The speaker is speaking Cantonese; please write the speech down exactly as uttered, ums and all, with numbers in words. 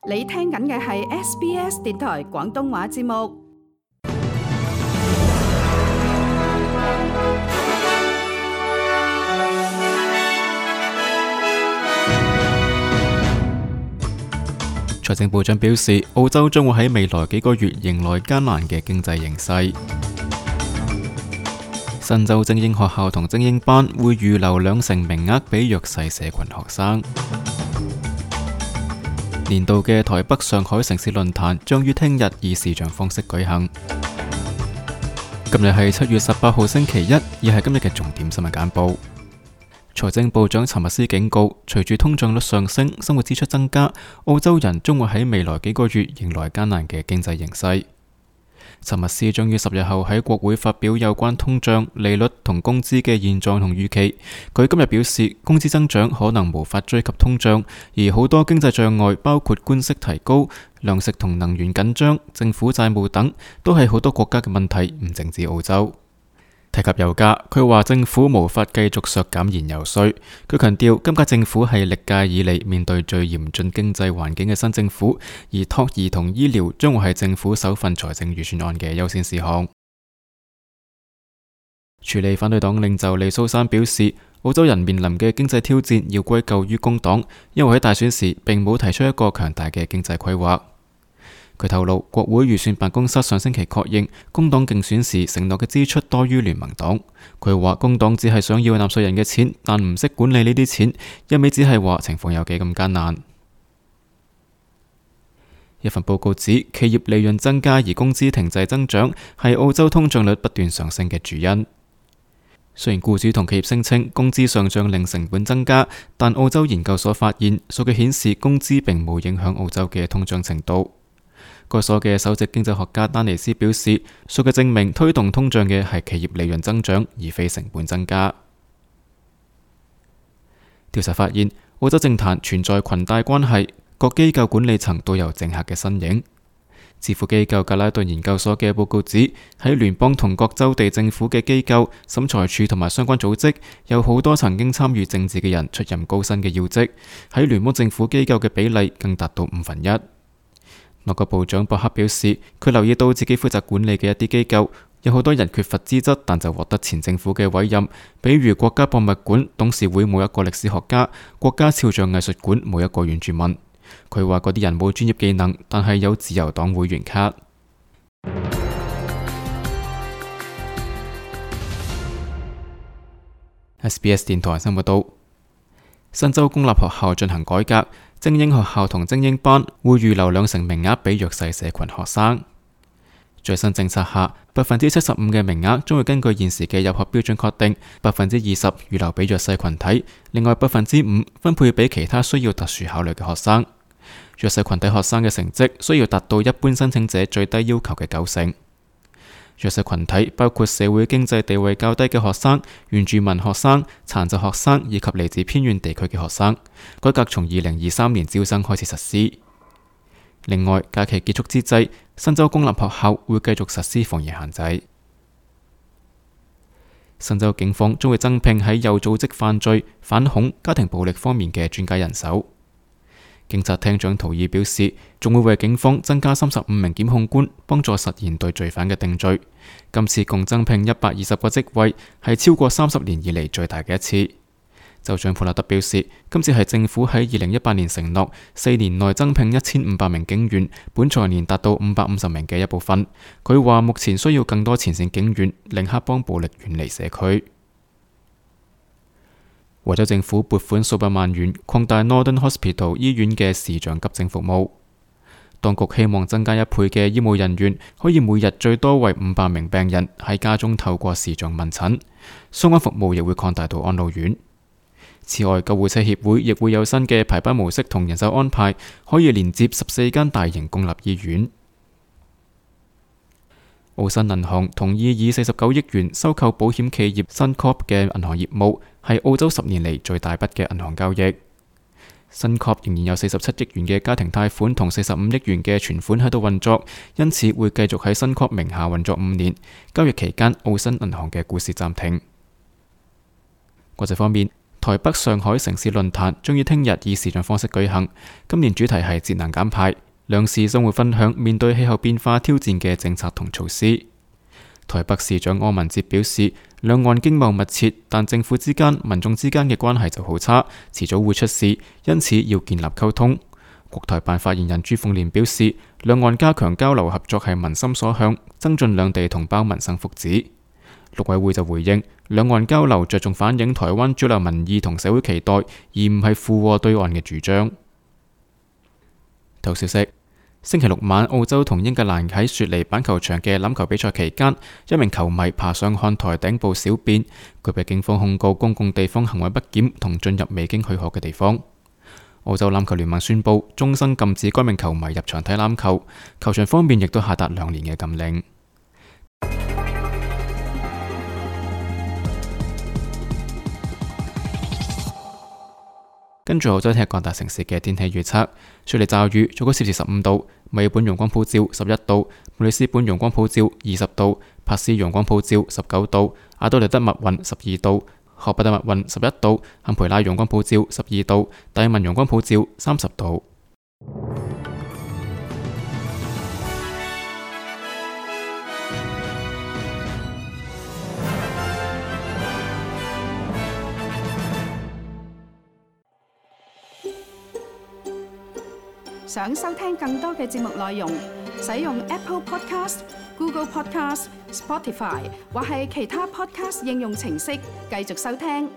你聽緊嘅係 S B S 電台廣東話節目。財政部長表示，澳洲將會喺未來幾個月迎來艱難嘅經濟形勢。新州精英學校同精英班會預留兩成名額俾弱勢社群學生。年度嘅台北上海城市論壇將於聽日以視像方式舉行。今日係七月十八號星期一，而係今日嘅重點新聞簡報。財政部長查密斯警告，隨住通脹率上升，生活支出增加，澳洲人將會喺未來幾個月迎來艱難嘅經濟形勢。查密斯將於十日後喺國會發表有關通脹、利率同工資嘅現狀同預期。佢今日表示，工資增長可能無法追及通脹，而好多經濟障礙，包括官息提高、糧食同能源緊張、政府債務等，都係好多國家嘅問題，唔淨止澳洲。提及油價，佢話政府無法繼續削減燃油稅。佢強調，今屆政府係歷屆以嚟面對最嚴峻經濟環境嘅新政府，而托兒同醫療將會係政府首份財政預算案嘅優先事項。處理反對黨領袖利蘇珊表示，澳洲人面臨嘅經濟挑戰要歸咎於工黨，因為喺大選時並冇提出一個強大嘅經濟規劃。佢透露，國會預算辦公室上星期確認，工黨競選時承諾嘅支出多於聯盟黨。佢話工黨只係想要納稅人嘅錢，但唔識管理呢啲錢，一味只係話情況有幾咁艱難。一份報告指，企業利潤增加而工資停滯增長，係澳洲通脹率不斷上升嘅主因。雖然僱主同企業聲稱工資上漲令成本增加，但澳洲研究所發現，數據顯示工資並冇影響澳洲嘅通脹程度。該所嘅首席經濟學家丹尼斯表示，數據證明推動通脹嘅係企業利潤增長，而非成本增加。調查發現，澳洲政壇存在裙帶關係，各機構管理層都有政客嘅身影。智庫機構格拉頓研究所嘅報告指，喺聯邦同各州地政府嘅機構、審裁處同埋相關組織，有好多曾經參與政治嘅人出任高薪嘅要職，喺聯邦政府機構嘅比例更達到五分一。內閣部長博克表示，佢留意到自己負責管理嘅一啲機構，有好多人缺乏資質，但就獲得前政府嘅委任，比如國家博物館董事會冇一個歷史學家，國家肖像藝術館冇一個原住民。佢話嗰啲人冇專業技能，但係有自由黨會員卡。S B S 電台新聞報道，新州公立學校進行改革。精英學校同精英班會預留兩成名額俾弱勢社群學生。最新政策下，百分之七十五嘅名額將會根據現時嘅入學標準確定，百分之二十預留俾弱勢群體，另外百分之五分配俾其他需要特殊考慮嘅學生。弱勢群體學生嘅成績需要達到一般申請者最低要求嘅九成。弱勢群體包括社會經濟地位較低嘅學生、原住民學生、殘疾學生以及嚟自偏遠地區嘅學生。改革從二零二三年招生開始實施。另外，假期結束之際，新州公立學校會繼續實施防疫限制。新州警方將會增聘喺有組織犯罪、反恐、家庭暴力方面嘅專家人手。警察廳長圖爾表示，仲會為警方增加三十五名檢控官，幫助實現對罪犯嘅定罪。今次共增聘一百二十個職位，係超過三十年以嚟最大嘅一次。州長普納德表示，今次係政府喺二零一八年承諾四年內增聘一千五百名警員，本財年達到五百五十名嘅一部分。佢話目前需要更多前線警員，令黑幫暴力遠離社區。維州政府撥款數百萬元擴大 Northern Hospital 醫院嘅視像急症服務。當局希望增加一倍嘅醫務人員，可以每日最多為五百名病人喺家中透過視像問診。相關服務亦會擴大到安老院。此外，救護車協會亦會有新嘅排班模式同人手安排，可以連接十四間大型公立醫院。澳新銀行同意以四十九億元收購保險企業 Suncorp 嘅銀行業務，係澳洲十年嚟最大筆嘅銀行交易。Suncorp 仍然有四十七億元嘅家庭貸款同四十五億元嘅存款喺度運作，因此會繼續喺 Suncorp 名下運作五年。交易期間，澳新銀行嘅股市暫停。國際方面，台北上海城市論壇將於聽日以視像方式舉行，今年主題係節能減排，兩市將會分享面對氣候變化挑戰嘅政策同措施。台北市長柯文哲表示，兩岸經貿密切，但政府之間、民眾之間嘅關係就好差，遲早會出事，因此要建立溝通。國台辦發言人朱鳳蓮表示，兩岸加強交流合作係民心所向，增進兩地同胞民生福祉。陸委會就回應，兩岸交流着重反映台灣主流民意同社會期待，而唔係附和對岸嘅主張。頭消息：星期六晚，澳洲同英格蘭喺雪梨板球場嘅欖球比賽期間，一名球迷爬上看台頂部小便，佢被警方控告公共地方行為不檢同進入未經許可嘅地方。澳洲欖球聯盟宣布終身禁止該名球迷入場睇欖球，球場方面亦都下達兩年嘅禁令。跟住澳洲聽日各大城市嘅天氣預測：雪梨驟雨，最高攝氏十五度；墨爾本陽光普照十一度；布里斯本陽光普照二十度；珀斯陽光普照十九度；阿德萊德密雲十二度；荷伯特密雲十一度；坎培拉陽光普照十二度；達爾文陽光普照三十度。想收聽更多嘅節目內容，使用 Apple Podcast、Google Podcast、Spotify 或係其他 Podcast 應用程式繼續收聽。